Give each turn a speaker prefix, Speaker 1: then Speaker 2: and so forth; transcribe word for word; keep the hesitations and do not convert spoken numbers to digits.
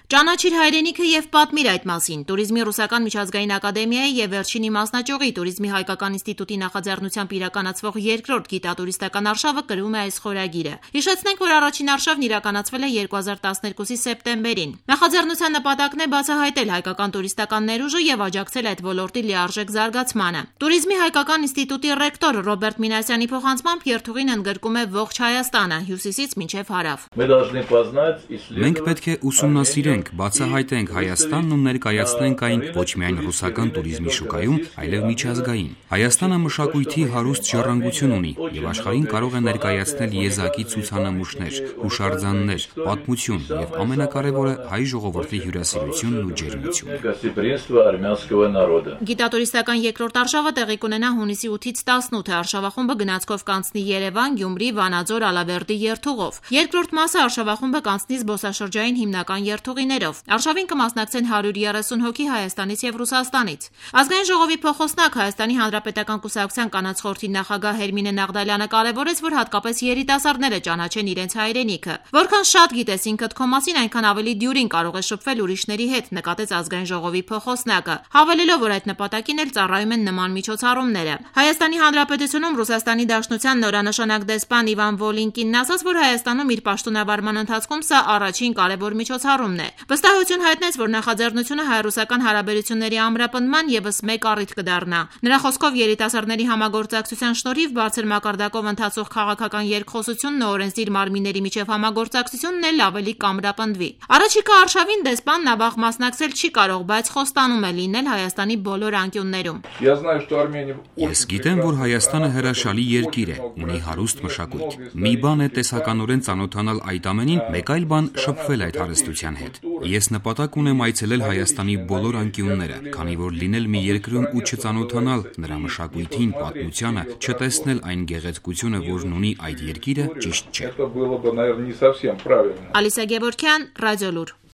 Speaker 1: Ճանաչիր հայրենիքը եւ պատմիր այդ մասին։ Տուրիզմի ռուսական միջազգային ակադեմիայի եւ վերջինի մասնաճյուղի Տուրիզմի հայկական ինստիտուտի նախաձեռնությամբ իրականացվող երկրորդ գիտատուրիստական արշավը կրում է այս խորագիրը։ Հիշեցնենք, որ առաջին արշավն իրականացվել է երկու հազար տասներկուսի սեպտեմբերին։ Նախաձեռնության նպատակն է բացահայտել հայկական տուրիստական ներուժը եւ աջակցել այդ ոլորտի լիարժեք զարգացմանը։ Տուրիզմի հայկական ինստիտուտի ռեկտոր Ռոբերտ Մինասյանի փոխանցմամբ երթուղին ընդգրկում է ողջ Հայաստանը՝ հյուսիսից մինչև հարավ։
Speaker 2: Մենք պետք է ուսումնասիրենք, բացահայտենք Հայաստանն ու ներկայացնենք այն ոչ միայն ռուսական տուրիզմի շուկայում, այլև միջազգային։ Հայաստանը մշակույթի հարուստ ժառանգություն ունի եւ աշխարհին կարող է ներկայացնել եզակի ցուցանմուշներ, հուշարձաններ, պատմություն եւ ամենակարևորը հայ ժողովրդի հյուրասիրությունն ու ջերմությունը։
Speaker 1: Գիտատուրիստական երկրորդ արշավը տեղի կունենա հունիսի ութից տասնութը։ Արշավախումբը գնացքով կանցնի Երևան, Գյումրի, Վանաձոր, Ալավերդի երթուղով։ Երկրորդ մասը արշավախումբը կանցնի զբոսաշրջային հիմնական երթուղիներով։ Արշավին կմասնակցեն հարյուր երեսուն հոգի Հայաստանից եւ Ռուսաստանից։ Ազգային ժողովի փոխոսնակ Հայաստանի Հանրապետական կուսակցության կանանց խորհրդի նախագահ Հերմինե Նաղդալյանը կարևորեց, որ հատկապես երիտասարդները ճանաչեն իրենց հայրենիքը։ Որքան շատ գիտես ինքդ քո մասին, այնքան ավելի դյուրին կարող է շփվել ուրիշների հետ, նկատեց Ազգային ժողովի փոխոսնակը, հավելելով, որ այդ նպատակին էլ ծառայում են նման միջոցառումները։ Հայաստանի Հանրապետությունում Ռուսաստանի Դաշնության նորանշանակ դեսպան Իվան Վոլինկինն ասաց, որ Հայաստանում իր պաշտոնավարման ընթացքում սա առաջին կարևոր միջոցառումն է։ Վստահություն հայտնեց, որ նախաձեռնությունը հայ-ռուսական հարաբերությունների ամրապնդման ևս մեկ առիթ կդառնա։ Նրա խոսքով երիտասարդների համագործակցության շնորհիվ բարձր մակարդակով ընթացող քաղաքական երկխոսությունն ու օրենսդիր մարմինների միջև համագործակցությունն էլ ավելի կամրապնդվի։ Առաջիկա արշավին դեսպանն ավաղ մասնակցել չի կարող, բայց խոստանում է լինել Հայաստանի բոլոր անկյուններում։
Speaker 2: Ես գիտեմ, որ Հայաստանը հրաշալի երկիր է, ունի հարուստ մշակույթ։ Մի բան է տեսականորեն ծանոթանալ այդ ամենին, մեկ այլ բան շփվել այդ հարստության հետ։ Ես նպատակ ունեմ այցելել Հայաստանի բոլոր անկյունները, քանի որ լինել մի երկրում ու չծանոթանալ նրա մշակույթին, պատմությանը, չտեսնել այն գեղեցկությունը, որն ունի այդ երկիրը, ճիշտ չէ։
Speaker 1: Ալիսա Գևորգյան, Ռադիոլուր։